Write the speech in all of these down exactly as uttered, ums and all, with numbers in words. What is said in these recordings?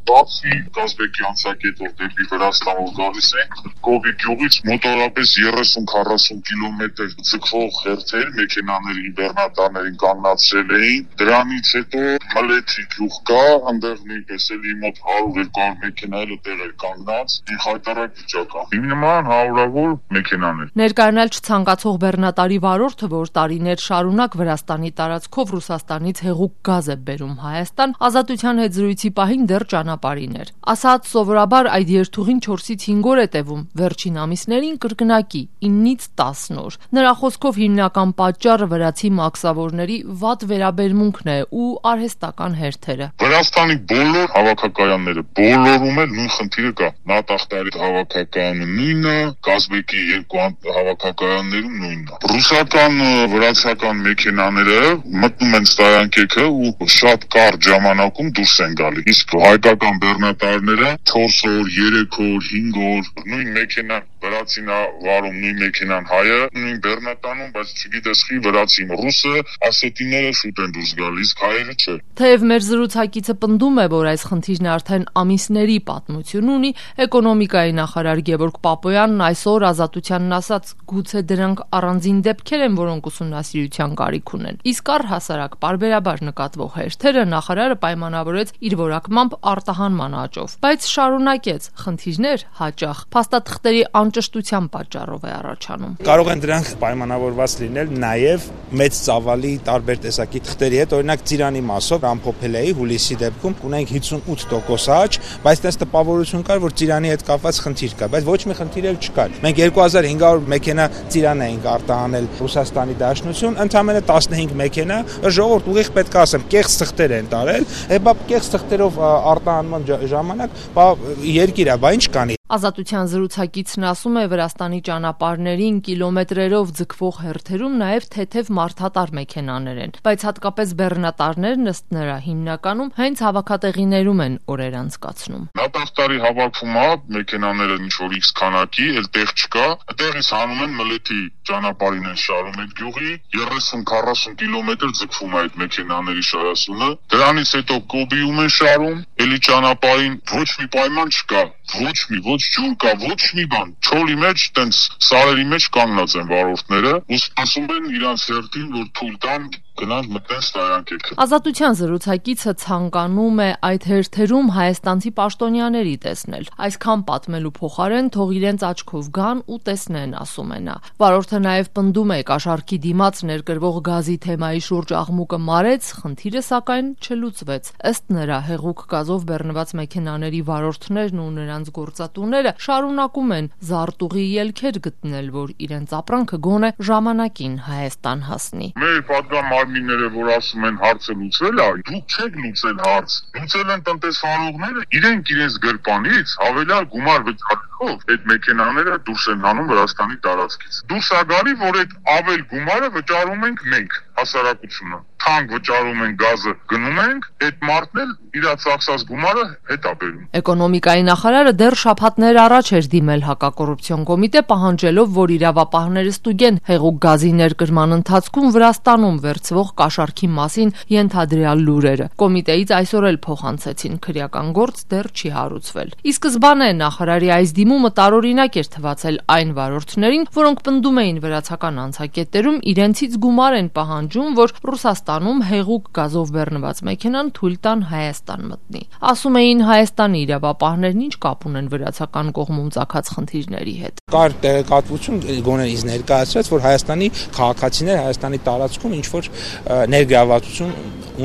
Բացի Կազբեկի անցակետով դեպի Վրաստան որ գալիս են, Կովի գյուղից մոտորապես երեսուն քառասուն կիլոմետր ձգվող հերթեր մեքենաների բեռնատարներին կանգնացրել էին, դրանից հետո Մլեթի գյուղ կա, այնտեղ նույնպես էլի մոտ հարյուր երկու հարյուր մեքենա էլ տեղ էր կանգնած, խայտարակ վիճակա։ Հիմնական հարյուրավոր մեքենաներ։ Ներկայանալ չցանկացող բեռնատարի վարորդը, որ տարիներ շարունակ Վրաստանի տարածքով Ռուսաստանից հեղուկ գազ է բերում Հայաստան, Ազատության հետ զրույցի պահին դեռ ճանապարհին էր։ Ասաց սովորաբար այդ երթուղին չորսից հինգ օր է տևում, վերջին ամիսներին կրկնակի իննից տասն օր։ Նրա խոսքով հիմնական պատճառը վրացի մաքսավորների վատ վերաբերմունքն է ու արհեստական հերթերը։ Վրաստանի բոլոր հավաքակայանները բոլորում էլ նույն խնդիրը կա։ Նատախտարի հավաքակայանը նույնը, Կազբեկի երկու հավաքակայաններում նույնն է։ Ռուսական վրացական մեքենաները մտնում են ստայանքեքը ու շատ կարճ ժամանակում դուրս են գալի։ Իսկ հայկական բեռնատարները չորս օր, երեք օր, հինգ օր նույն մեքենան վրացին է վարում, նույն մեքենան հայը, նույն բեռնատանում, բայց չգիտես խի վրացին ռուսը, ասետիները շուտ են դուրս գալիս, հայերը չէ։ Թեև մեր զրուցակիցը պնդում է, որ այս խնդիրն արդեն ամիսների պատմություն ունի, էկոնոմիկայի նախարար Գևորգ Պապոյանն այսօր Ազատությանն ասաց, գուցե դրանք առանձին դեպքեր են, որոնք ուսումնասիրության կարիք ունեն։ Իսկ առհասարակ պարբերաբար նկատվող հերթերը նախարարը պայմանավորեց իր որակմամբ արտահանման աճով, բայց շարունակեց խնդիրներ հաճախ փաստաթղթերի անճշտության պատճառով է առաջանում։ Կարող են դրանք պայմանավորված լինել նաև մեծ ծավալի տարբեր տեսակի թղթերի հետ, օրինակ ծիրանի մասով ամփոփելեի հուլիսի դեպքում ունենք հիսունութ տոկոս աճ, բայց տես տպավորություն կար, որ ծիրանի հետ կապված խնդիր կա, բայց ոչ մի խնդիր էլ չկար։ Մենք երկու հազար հինգ հարյուր մեքենա ծիրան էինք արտահանել Ռուսաստանի Դաշնություն, ընդամենը տասնհինգ մեքենա, ժողովուրդ ուղիղ պետք է ասեմ, կեղծ թղթեր են տարել, հետո կեղծ թղթերով արտահանման ժամանակ երկիր է, բա ինչ կանի։ Ազատության զրուցակիցն ասում է, Վրաստանի ճանապարհներին կիլոմետրերով ձգվող հերթերում նաև թեթև մարդատար մեքենաներ են, բայց հատկապես բեռնատարներն ըստ նրա հիմնականում հենց հավաքատեղիներում են օրեր անցկացնում։ Նատախտարի հավաքում է մեքենաները ինչ որ X քանակի, էլ տեղ չկա, այդտեղից հանում են Մլեթի ճանապարհին են շարում այդ գյուղի, երեսուն քառասուն կիլոմետր ձգվում է այդ մեքենաների շարասունը, դրանից հետո Կոբիում են շարում, էլի ճանապարհին ոչ մի պայման չկա, ոչ մի ոչ ջուր կա, ոչ մի բան։ Չոլի մեջ տենց սարերի մեջ կանգնած են վարորդները, ու սպասում են իրանց հերթին, որ թույլ տան գնան մտնեն ստայանքեքը։ Ազատության զրուցակիցը ցանկանում է այդ հերթերում հայաստանցի պաշտոնյաների տեսնել։ Այսքան պատմելու փոխարեն թող իրենց աչքով գան ու տեսնեն, ասում է նա։ Վարորդը նաև պնդում է կաշառքի դիմաց ներկրվող գազի թեմայի շուրջ աղմուկը մարեց, խնդիրը սակայն չլուծվեց։ Ըստ նրա հեղուկ գազով բեռնված մեքենաների վարորդներն ու նրանց գործատուները շարունակում են զարտուղի ելքեր գտնել, որ իրենց ապրանքը գոնե ժամանակին Հայաստան հասնի։ Մեր պատգամ մարմինները, որ ասում են հարցը լուծվել է, դուք չեք լուծել հարց։ Լուծել են տնտեսվարողները, իրենք իրենց գրպանից հավելյալ գումար վճարելով այդ մեքենաները դուրս են հանում Վրաստանի տարածքից։ Դուրս է գալի, որ այդ ավել գումարը վճարում ենք մենք, հասարակությունը։ Թանկ վճարում են գազը, գնում ենք, այդ մարդն էլ իր ծախսած գումարը հետ է բերում։ Էկոնոմիկայի նախարարը դեռ շաբաթներ առաջ էր դիմել հակակոռուպցիոն կոմիտե, պահանջելով, որ իրավապահները ստուգեն հեղուկ գազի ներկրման ընթացքում Վրաստանում վերցվող կաշառքի մասին ենթադրյալ լուրերը։ Կոմիտեից այսօր էլ փոխանցեցին, քրեական գործ դեռ չի հարուցվել։ Ի սկզբանե նախարարի այս դիմումը տարօրինակ էր թվացել այն վարորդներին, որոնք պնդում էին վրացական անցակետերում իրենցից գումար են պահանջում, որ Ռուսաստանում հեղուկ գազով բեռնված մեքենան թույլ տան Հայաստան մտնի։ Ասում էին Հայաստանի իրավապահներն ինչ կապ ունեն վրացական կողմում ծագած խնդիրների հետ։ Կար տեղեկատվություն, գոնե ինձ ներկայացրեց, որ Հայաստանի քաղաքացիները Հայաստանի տարածքում ինչ որ ներգրավվածություն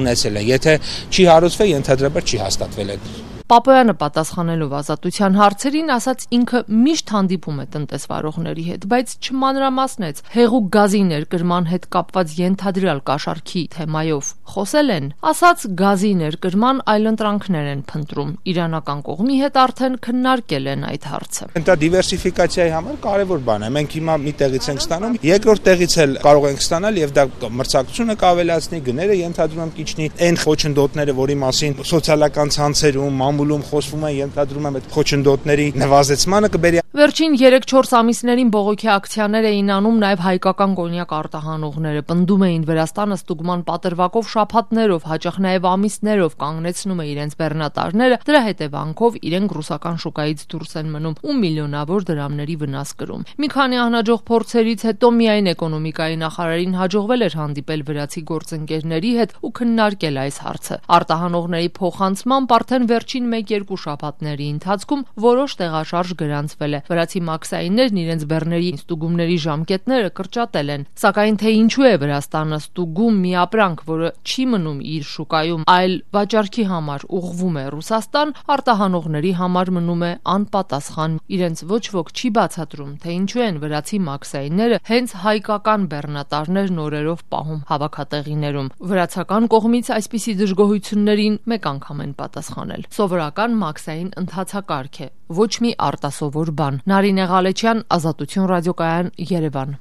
ունեցել են։ Եթե չի հարուցվել, ենթադրաբար չի հաստատվել այդ։ Պապոյանը պատասխանելով Ազատության հարցերին ասաց ինքը միշտ հանդիպում է տնտեսվարողների հետ, բայց չմանրամասնեց հեղուկ գազի ներկրման հետ կապված ենթադրյալ կաշառքի թեմայով խոսել են, ասաց գազի ներկրման այլընտրանքներ են փնտրում, իրանական կողմի հետ արդեն քննարկել են այդ հարցը։ Դա դիվերսիֆիկացիայի համար կարևոր բան է, մենք հիմա մի տեղից ենք ստանում, երկրորդ տեղից էլ կարող ենք ստանալ եւ դա մրցակցությունը կավելացնի, գները ենթադրում եմ կիչնի, այն խոչընդոտները, որի մասին սոցիալական ցանցերում մամուլում խոսվում է, ենթադրում եմ այդ խոչընդոտների նվազեցմանը կբերի։ Վերջին երեք-չորս ամիսներին բողոքի ակցիաներ էին անում նաև հայկական կոնյակ արտահանողները, պնդում էին Վրաստանը ստուգման պատրվակով շաբաթներով, հաճախ նաև ամիսներով կանգնեցնում է իրենց բեռնատարները, դրա հետևանքով իրենք ռուսական շուկայից դուրս են մնում ու միլիոնավոր դրամների վնաս կրում։ Մի քանի անհաջող փորձերից հետո միայն էկոնոմիկայի նախարարին հաջողվել էր հանդիպել վրացի գործընկերների հետ ու քննարկել այս հարցը։ Արտահանողների փոխանցմամբ արդեն վերջին մեկ-երկու շաբաթների ընթացքում որոշ տեղաշարժ գրանցվել է։ Վրացի մաքսայիններն իրենց բեռների ստուգումների ժամկետները կրճատել են, սակայն թե ինչու է Վրաստանը ստուգում մի ապրանք, որը չի մնում իր շուկայում, այլ վաճառքի համար ուղղվում է Ռուսաստան, արտահանողների համար մնում է անպատասխան։ Իրենց ոչ ոք չի բացատրում, թե ինչու են վրացի մաքսայինները հենց հայկական բեռնատարներն օրերով պահում հավաքատեղիներում։ Վրացական կողմից այսպիսի դժգոհություններին մեկ անգամ են պատասխանել։ Սովորական մաքսային ընթացակարգ է, ոչ մի արտասովոր բան։ Նարինե Ղալեչյան, Ազատություն ռադիոկայան, Երևան։